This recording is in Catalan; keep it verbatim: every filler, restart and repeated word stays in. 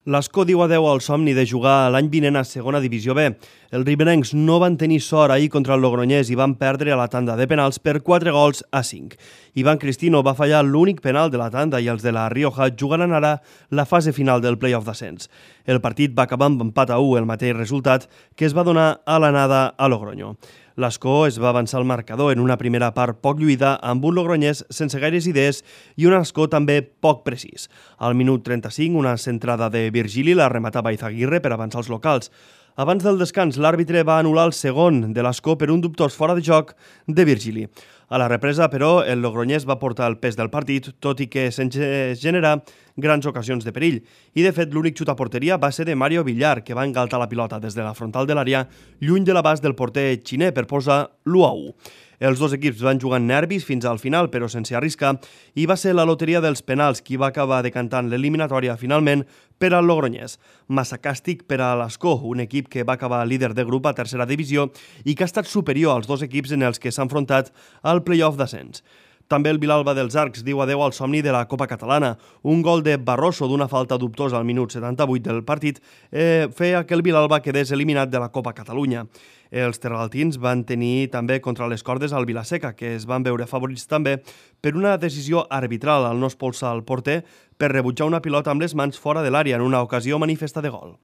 L'Escó diu adeu al somni de jugar l'any vinent a segona divisió B. Els riberencs no van tenir sort ahir contra el Logroñés i van perdre a la tanda de penals per quatre gols a cinc. Ivan Cristino va fallar l'únic penal de la tanda i els de la Rioja jugaran ara la fase final del play-off d'ascens. El partit va acabar amb empat a u, el mateix resultat que es va donar a l'anada a Logroño. L'Escó es va avançar al marcador en una primera part poc lluïda amb un Logroñés sense gaires idees i un Escó també poc precís. Al minut trenta-cinc, una centrada de Virgili la rematava Izaguirre per avançar els locals. Abans del descans, l'àrbitre va anul·lar el segon de l'Escó per un dubtós fora de joc de Virgili. A la represa, però, el Logroñés va portar el pes del partit, tot i que sense generar grans ocasions de perill. I, de fet, l'únic xut a porteria va ser de Mario Villar, que va engaltar la pilota des de la frontal de l'àrea, lluny de l'abast del porter xiner per posar l'u a u. Els dos equips van jugar nervis fins al final, però sense arriscar, i va ser la loteria dels penals qui va acabar decantant l'eliminatòria finalment per al Logroñés. Massa càstig per a l'Escó, un equip que va acabar líder de grup a tercera divisió i que ha estat superior als dos equips en els que s'ha enfrontat al play-off d'ascens. També el Vilalba dels Arcs diu adeu al somni de la Copa Catalana. Un gol de Barroso d'una falta dubtosa al minut setanta-vuit del partit eh, feia que el Vilalba quedés eliminat de la Copa Catalunya. Els terraltins van tenir també contra les cordes al Vilaseca, que es van veure favorits també per una decisió arbitral al no expulsar el porter per rebutjar una pilota amb les mans fora de l'àrea en una ocasió manifesta de gol.